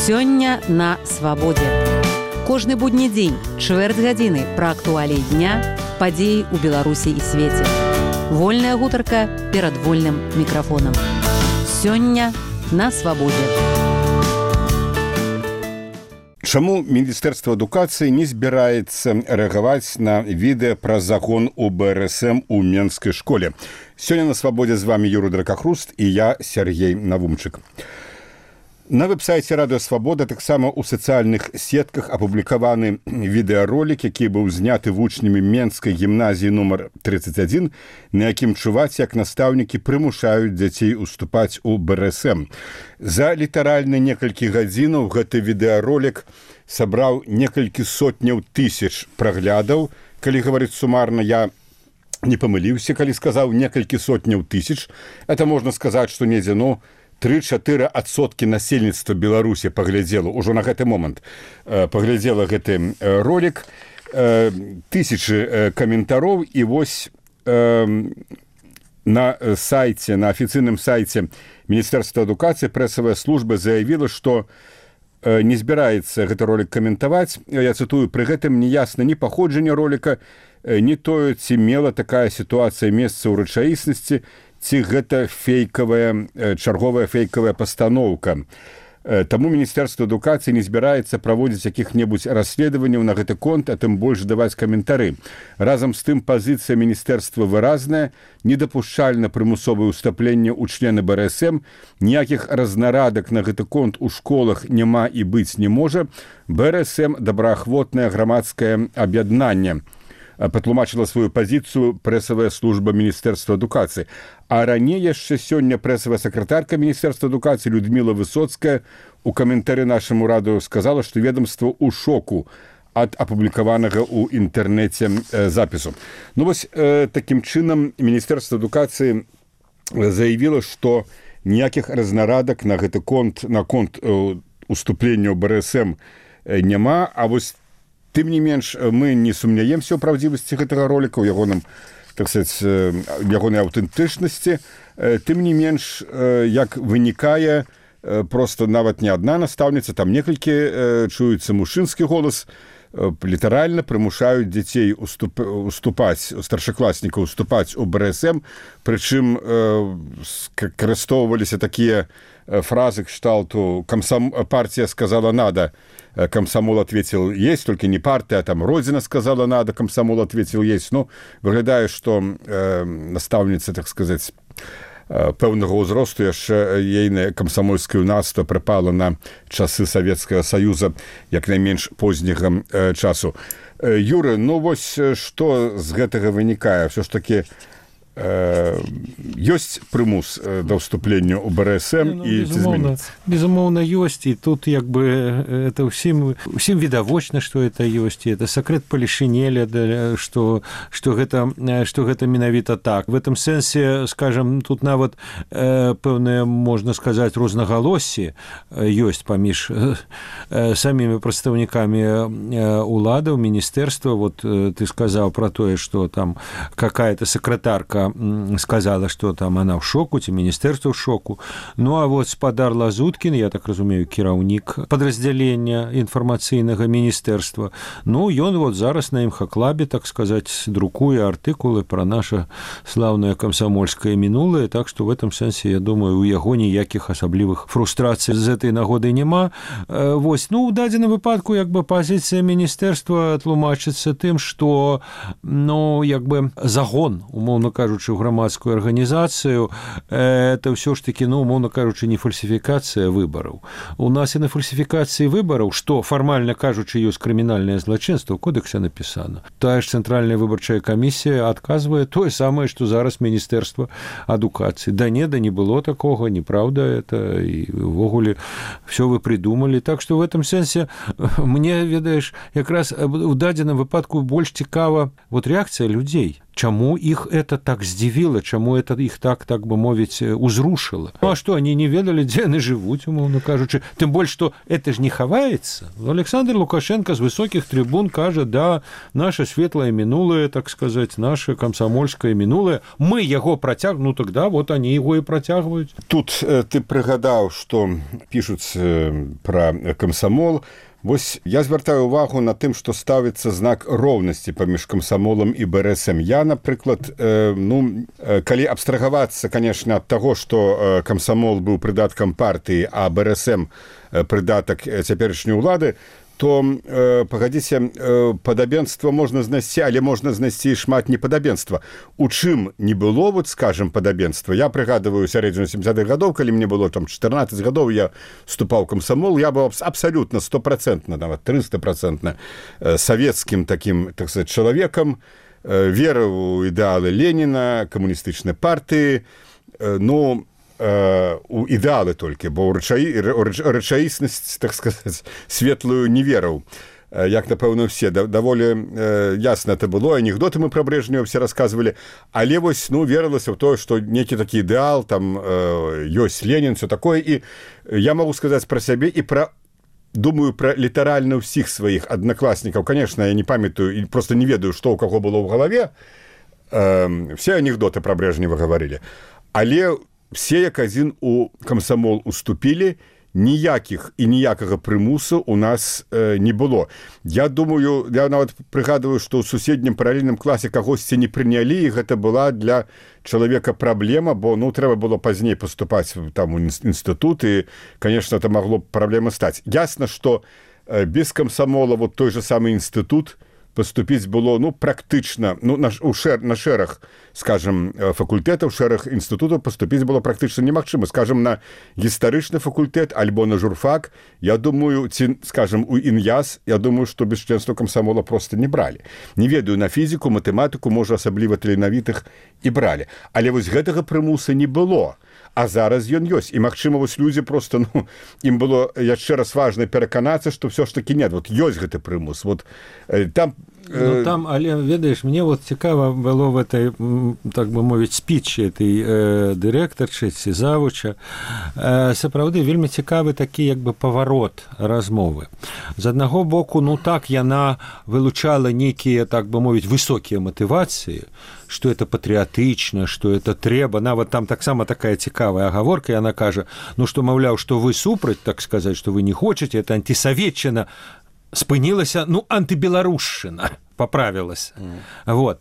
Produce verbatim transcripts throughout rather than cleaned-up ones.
Сёння на свабодзе. Кожны будні дзень, чвэрць гадзіны пра актуаліі дня, падзеі ў Беларусі і свеце. Вольная гутарка перад вольным мікрафонам. Сёння на свабодзе. Чаму Міністэрства адукацыі не збіраецца рэагаваць на відэа пра закон у бэ эр эс эм у Менскай школе? Сёння на свабодзе з вами Юрый Дракахруст і я, Сергей Навумчык. На вэб-сайце Радыё Свабода таксама ў сацыяльных сетках апублікаваны відэаролік, які быў зняты вучнямі Менскай гімназіі нумар тридцать один, на якім чуваць, як настаўнікі прымушаюць дзяцей уступаць у бэ эр эс эм. За літаральна некалькі гадзінаў гэты відэаролік сабраў некалькі сотняў тысяч праглядаў. Калі гаварыць сумарна, я не памыліўся, калі сказаў некалькі сотняў тысяч. Это можна сказаць, што недзе, ну, тры-чатыры адсоткі насельніцтва Беларусі паглядзела, ужо на гэты момант паглядзела гэты ролик, тысячы каментароў, і вось на сайце, на афіцыйным сайце Міністэрства адукацыі прэсавая служба заявіла, што не збіраецца гэты ролик каментаваць. Я цытую: пры гэтым не ясна ні паходжанне ролика, ні тое, ці мела такая сітуацыя месца ў рэчаіснасці, ці гэта фейкавая, чарговая фейкавая пастаноўка. Таму Міністэрства адукацыі не збіраецца праводзіць якіх-небудзь расследаванняў на гэты конт, а тым больш даваць каментары. Разам з тым, пазіцыя міністэрства выразная: недапушчальна прымусовае ўстапленне ў члены бэ эр эс эм, ніякіх разнарадак на гэты конт у школах няма і быць не можа. бэ эр эс эм добраахвотнае грамадскае аб'яднанне, патлумачыла сваю пазіцыю прэсавая служба Міністэрства адукацыі. А раней яшчэ сёння прэсавая сакратарка Міністэрства адукацыі Людміла Высоцкая у каментары нашаму радыё сказала, што ведомства ў шоку ад апублікаванага ў інтэрнэце запісу. Ну вось такім чынам Міністэрства адукацыі заявіла, што ніякіх разнарадак на гэты конт, на конт уступлення ў бэ эр эс эм няма. А вось тым не менш, мы не сумняемся ў правдзівасці гэтага роліка, у ягоным, так сказаць, ягонай аўтэнтычнасці. Тым не менш, як вынікае, проста нават не адна настаўніца, там некалькі чуецца мужчынскі голас, літаральна прымушаюць дзяцей уступ, уступаць, старшакласнікаў уступаць у бэ эр эс эм, прычым карыстоўваліся такія фразы кшталту: комсом... партия сказала надо, комсомол ответил есть, только не партия, а там Родина сказала надо, комсомол ответил есть. Ну, выглядае, што э, настаўніца, так сказаць, пэўнага ўзросту, яшчэ ейнае камсамольскае юнацтва прыпала на часы Савецкага Саюза, як найменш позняга э, часу. Э, Юры, ну вось што з гэтага вынікае? Всё ж такі ёсць прымус да ўступлення ў бэ эр эс эм, ну, і безумоўна, безумоўна ёсць, і тут як бы это ўсім усім відавочна, што это ёсць, і это сакрэт палішынеля, што што гэта што гэта менавіта так. В этом сэнсе, скажем, тут нават э, пэўнае, можна сказаць, рознагалоссі ёсць паміж э, самімі прадстаўнікамі уладаў, міністэрства. Вот э, ты сказаў пра тое, што там какая-то сакратарка сказала, что там она в шоку, ці міністэрства ў шоку. Ну, а вот спадар Лазуткін, я так разумею, кіраўнік падраздзялення інфармацыйнага міністэрства, ну, ён вот зараз на імхаклабе, так сказаць, друкуе артыкулы пра наша слаўнае камсамольскае мінулае, так што в этом сэнсе, я думаю, у яго ніякіх асаблівых фрустрацый з этой нагодай няма. Вось, ну, у дадзеным выпадку, як бы, пазіцыя міністэрства тлумачыцца тым, што, ну, як бы, загон, умоўна кажучы, ў грамадскую арганізацыю, это ўсё ж такі, ну, умоўна кажучы, не фальсіфікацыя выбараў. У нас і на фальсіфікацыі выбараў, што фармальна кажучы ёсць крымінальнае злачынства, ў кодэксе напісана. Тая ж цэнтральная выбарчая камісія адказвае тое самае, што зараз Міністэрства адукацыі. Да не, да не было такога, неправда это, і ўвогуле всё вы придумалі. Так што в этом сэнсе мне, ведаеш, якраз у дадзеным выпадку больш цікава вот рэакцыя людзей. чаму іх это так здзівіла, чаму это іх так, так бы мовіць, узрушыла. Ну, а што, они не ведалі, дзе яны жывуць, умоўна кажучы. Тым больш, што это ж не хаваецца. Александр Лукашенко з высокіх трибун кажа, да, наше светлае мінулае, так сказаць, наше камсамольскае мінулае, мы яго працяг, ну тогда вот они его и працягваюць. Тут э, ты прыгадаў, што пішуць э, пра камсамол. Вось я звяртаю увагу на тым, што ставіцца знак роўнасці паміж камсамолам і БРСМ. Я, напрыклад, э, ну, э, калі абстрагавацца, конечно, ад таго, што э, камсамол быў прыдаткам партыі, а БРСМ э, прыдатак э, цяперашняй улады, то, э, пагадзіце, э, падабенства можна знайсці, але можна знайсці шмат непадабенства. У чым не было, вот, скажем, падабенства? Я прыгадываю сярэдзіну сямдзесятых гадоў, калі мне было там чатырнаццаць гадоў, я вступаў в камсамол, я быў абсалютна стопроцентна, нават трыстапроцентна э, савецкім такім, так сказать, чалавекам, э, верыў у ідэалы Леніна, камуністычнай партыі, э, ну, у ідэалы толькі, бо рэчаіснасць, так сказаць, светлую не верыў. Як, напэўна, все. Даволі ясна это было. Анекдоты мы пра Брежнева все рассказывалі. Але вось, ну, верылася ў тое, што некі такі ідэал, там ёсць Ленін, все такое. І я магу сказаць пра сябе і пра, думаю, пра літаральна ўсіх сваіх аднакласнікаў. Конечно, я не памятаю і просто не ведаю, што ў каго было ў галаве. Все анекдоты пра Брежнева гаварылі. Але все як адзін у камсамол уступілі, ніякіх і ніякага прымусу у нас э, не было. Я думаю, я нават прыгадываю, што ў суседнім паралельным класе кагосьці не прынялі, і гэта была для чалавека праблема, бо, ну, трэба было пазней паступаць там у інстытут, і, конечно, это магло б праблема стаць. Ясна, што э, без камсамола вот той же самы інстытут поступіць было, ну, практычна, ну, на, у шэр, на шэраг, скажем, факультэтаў, шэраг інстытутаў поступіць было практычна немагчыма. Скажем, на гістарычны факультэт альбо на журфак, я думаю, ці, скажем, у ІНЯС, я думаю, што без членства камсамола просто не бралі. Не ведаю, на фізіку, матэматыку, можа, асабліва таленавітых і бралі. Але вось гэтага прымуса не было. А зараз ён ёсць. І, магчыма, вось людзі просто, ну, ім было яшчэ раз важна пераканацца, што все ж таки нет, вот ёсць гэты прымус. Вот э, там Ну, там, але, ведаеш, мне вот цікава было в этой, так бы мовіць, спічы этой э, дырэктарчы ці завуча. Э, сапраўды, вельмі цікавы такі, як бы, паварот размовы. З аднаго боку, ну так, яна вылучала нейкія, так бы мовіць, высокія матывацыі, што это патрыятычна, што это трэба. Нават там таксама такая цікавая агаворка, яна кажа, ну што, маўляў, што вы супраць, так сказаць, што вы не хочаце, это антисаветчына, спынілася, ну, антыбеларушчына, поправілася. Mm. Вот.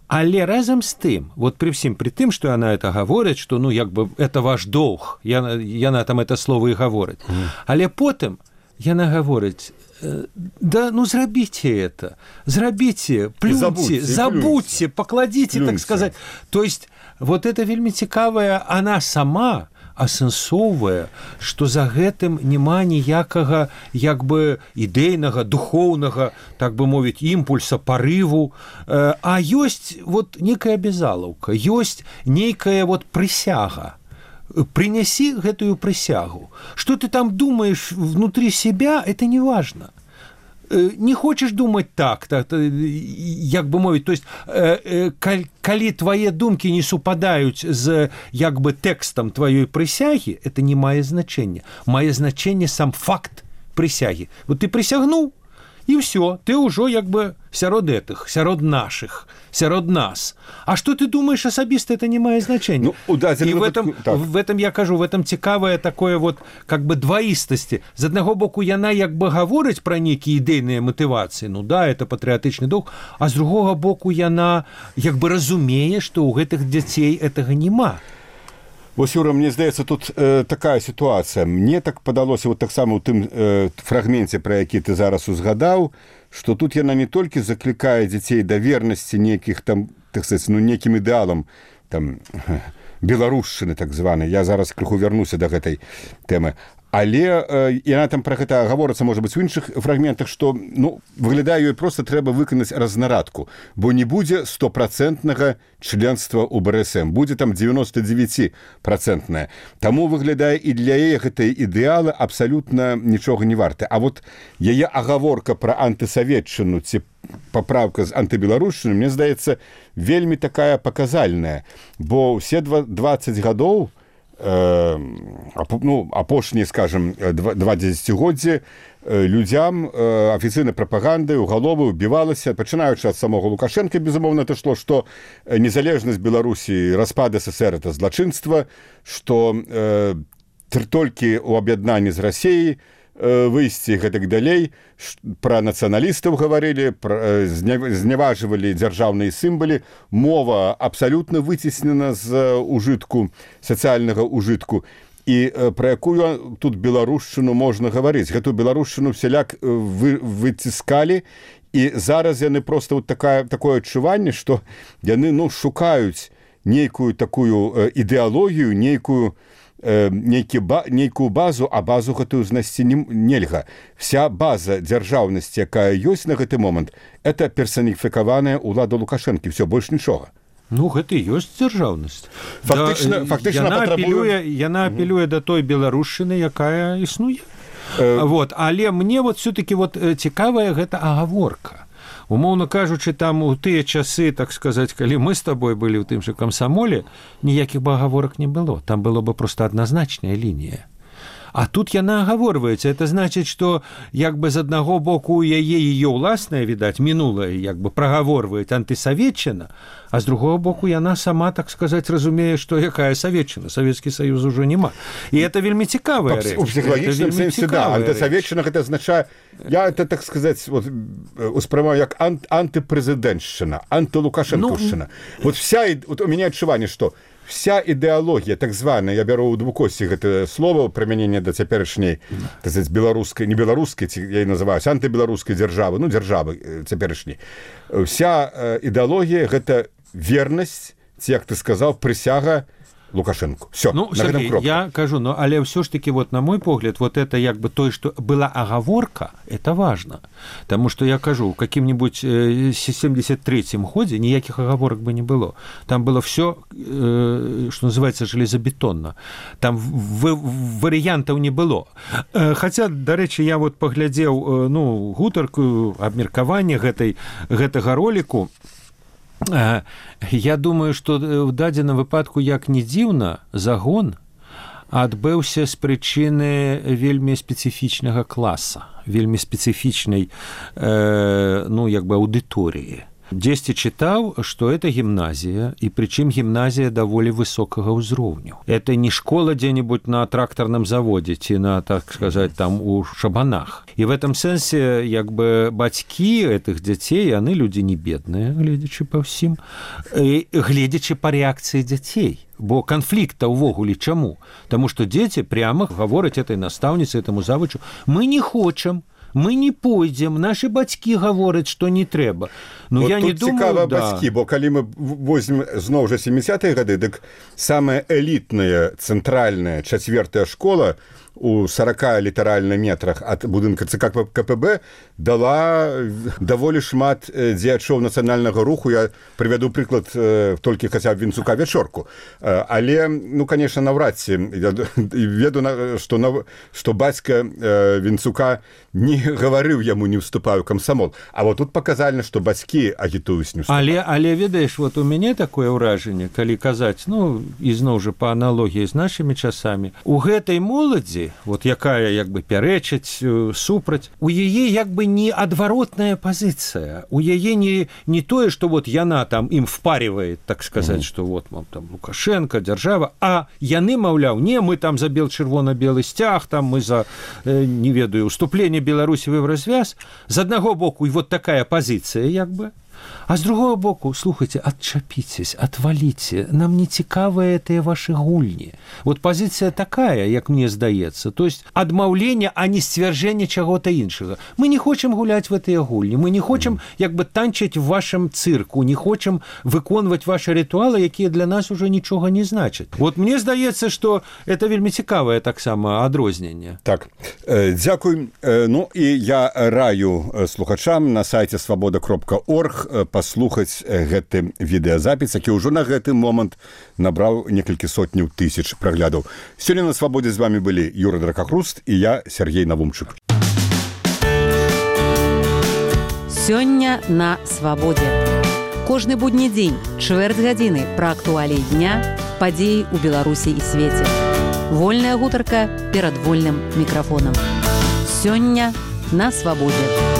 Але разам з тым, вот при всім, при тым, што яна это гаворыць, што, ну, як бы, это ваш доўг, яна, яна там это слово і гаворыць. Mm. Але потым яна гаворыць, да, ну, зрабіце это, зрабіце, плюньце, забудьте, забудьте, покладите, плюньте. Так сказать. То есть, вот это вельмі цікавая, она сама асэнсоўвае, што за гэтым няма ніякага, як бы, ідэйнага, духоўнага, так бы мовіць, імпульса, парыву, а ёсць вот некая абязалаўка, ёсць нейкая вот прысяга. Приняси гэтую прысягу. Что ты там думаешь внутри себя, это не важно. Не хочешь думать так, так як бы мовіць, то есть калі твои думкі не супадаюць з як бы тэкстам твоей прысягі, это не мае значэння. Мае значэнне сам факт прысягі. Вот ты прысягнуў, і ўсё, ты ўжо як бы сярод гэтых, сярод наших, сярод нас. А што ты думаешь асабіста, это не мае значэння. Ну, і в этом, так. в этом, я кажу, в этом цікавае такое вот как бы дваістасці. З аднаго боку, яна як бы гаворыць пра нейкія ідэйныя матывацыі, ну да, это патрыятычны дух, а з другога боку яна як бы разумее, што ў гэтых дзяцей гэтага няма. Вось, Юра, мне здаецца, тут э, такая сітуацыя. Мне так падалося вот таксама ў тым э, фрагменце, пра які ты зараз узгадаў, што тут яна не толькі заклікае дзяцей да вернасці нейкіх там, так сказаць, ну, нейкім ідэалам, там, беларушчыны, так званай. Я зараз крыху вярнуся да гэтай тэмы. Але э, яна там пра гэта гаворыцца, можа быць, у іншых фрагментах, што ну, выглядае, ёй проста трэба выканаць разнарадку, бо не будзе стопроцентнага членства ў бэ эр эс эм, будзе там девяносто девять процентное. Таму выглядае і для яе гэтыя ідэалы абсалютна нічога не варты. А вот яе агаворка пра антысаветчыну ці паправка з антыбеларушчыны, мне здаецца, вельмі такая паказальная, бо ўсе двадцать гадоў ну, апошнія, скажем, два дзесяцігоддзі людзям афіцыйнай прапагандай у галовы ўбівалася, пачынаючы ад самога Лукашенка, безумоўна, это шло, што незалежнасць Беларусі, распад эс эс эр это злачынства, што э, толькі ў аб'яднанні з Расіяй выйсці гэтак далей, пра нацыяналістаў гаварылі, зняважвалі дзяржаўныя сімвалы, мова абсалютна выцеснена з ужытку, сацыяльнага ужытку. І пра якую тут беларушчыну можна гаварыць? Гэтую беларушчыну всяляк вы, выціскалі, і зараз яны проста вот такая, такое адчуванне, што яны ну, шукаюць нейкую такую ідэалогію, нейкую Нейкі ба, нейкую базу, а базу гэтую знайсці не, нельга. Вся база дзяржаўнасці, якая ёсць на гэты момант, это персаніфікаваная ўлада Лукашэнкі, все, больш нічога. Ну, гэта і ёсць дзяржаўнасць. Фактычна, да, фактычна яна патрабуе... апелюе, яна апелюе да той беларушчыны, якая існуе. Э... Вот, але мне вот все-таки вот цікавая гэта агаворка. Умоўна кажучы, там у тыя часы, так сказаць, калі мы з табой былі ў тым жа камсамоле, ніякіх бы агаворак не было. Там было бы проста адназначная лінія. А тут яна агаворваецца. Это значыць, што як бы з аднаго боку у яе яе ўласнае, відаць, мінулае, як бы прагаворваюць антысаветчына, а з другого боку яна сама, так сказаць, разумее, што якая саветчына. Савецкі Саюз ужо няма. І это вельмі цікавая рэч. У псіхалагічным сэнсе, да. Антысаветчына гэта азначае, я это, так сказаць, вот, успрымаю як ант, антыпрэзідэнтшчына, антылукашэнкаўшчына. Ну... Вот вся, вот у меня адчуванне, што вся ідэалогія, так званая, я бяру ў двукосці гэта слова, прымяненне да цяперашняй, так сказаць, беларускай, не беларускай, я і называюсь, антыбеларускай дзяржавы, ну, дзяржавы цяперашняй. Вся ідэалогія гэта вернасць, ці, як ты сказаў, прысяга Лукашенко. Все, ну, на гэтым кропка. Я кажу, ну, але все ж таки, вот, на мой погляд, вот это як бы то, что была оговорка, это важно. Потому что я кажу, в каким-нибудь э, семьдесят третьем году никаких оговорок бы не было. Там было все, э, что называется, железобетонно. Там в, в, вариантов не было. Э, хотя, до речи, я вот поглядел, э, ну, гутарку, обмеркование гэтай, гэтага ролику. Я думаю, што ў дадзеным выпадку, як не дзіўна, загон адбыўся з прычыны вельмі спецыфічнага класа, вельмі спецыфічнай э, ну, як бы аўдыторыі. Дзесьці чытаў, што это гімназія, і прычым гімназія даволі высокага ўзроўню. Это не школа дзе-нибудь на трактарным заводзе ці на, так сказаць, там у Шабанах. І в этом сэнсе, як бы, бацькі гэтых дзяцей, яны людзі не бедныя, гледзячы па ўсім, і гледзячы па рэакцыі дзяцей. Бо канфлікта ўвогуле чаму? Таму што дзеці пряма гавораць этой настаўніцы, этаму завучу: мы не хочам, мы не пойдзем, нашы бацькі гавораць, што не трэба. Ну, вот я не думаю, цікава да. Бацькі, бо калі мы возьмем зноў жа семидесятые гады, дык самая элітная цэнтральная чацвёртая школа у сорока літаральна метрах ад будынка ЦК КПБ дала даволі шмат дзеячоў нацыянальнага руху. Я прывяду прыклад толькі хаця б Вінцука Вячорку. Але, ну, конечно, наўрад ці я веду, што, што бацька Вінцука не гаварыў яму не ўступаю камсамол. А вот тут паказальна, што бацькі агітуюць не ўступаю. Але, але ведаеш, вот у мяне такое ўражанне, калі казаць, ну, ізноў жа па аналогіі з нашымі часамі, у гэтай моладзі, вот якая як бы пярэчыць супраць, у яе як бы не адваротная пазіцыя, у яе не, не тое, што вот яна там ім впаривает, так сказаць, mm-hmm. што вот вам там Лукашенко, дзяржава, а яны, маўляў, не, мы там за бел-чырвона-белы сцяг, там мы за, э, не ведаю, уступление Беларусі в Евразвяз. З аднаго боку, і вот такая пазіцыя як бы, А з другого боку, слухайте, адчапіцесь, отваліце, нам не цікавыя гэтыя ваши гульні. Вот пазіцыя такая, як мне здаецца, то есть адмаўленне, а не сцвярджэнне чаго-то іншага. Мы не хочам гуляць в гэтыя гульні, мы не хочам як бы танчыць в вашем цирку, не хочам выконваць ваши ритуалы, якія для нас уже нічога не значаць. Вот мне здаецца, что это вельмі цікавае таксама адрозненне. Так, э, дзякуй. Э, ну і я раю слухачам на сайце свабода кропка орг паслухаць гэты відэазапіс, які ўжо на гэты момант набраў некалькі сотняў тысяч праглядаў. Сёння на свабодзе з вами былі Юра Дракахруст і я, Сергей Навумчык. Сёння на свабодзе. Кожны будні дзень, чвэрць гадзіны пра актуаліі дня, падзеі ў Беларусі і свеце. Вольная гутарка перад вольным мікрафонам. Сёння на свабодзе.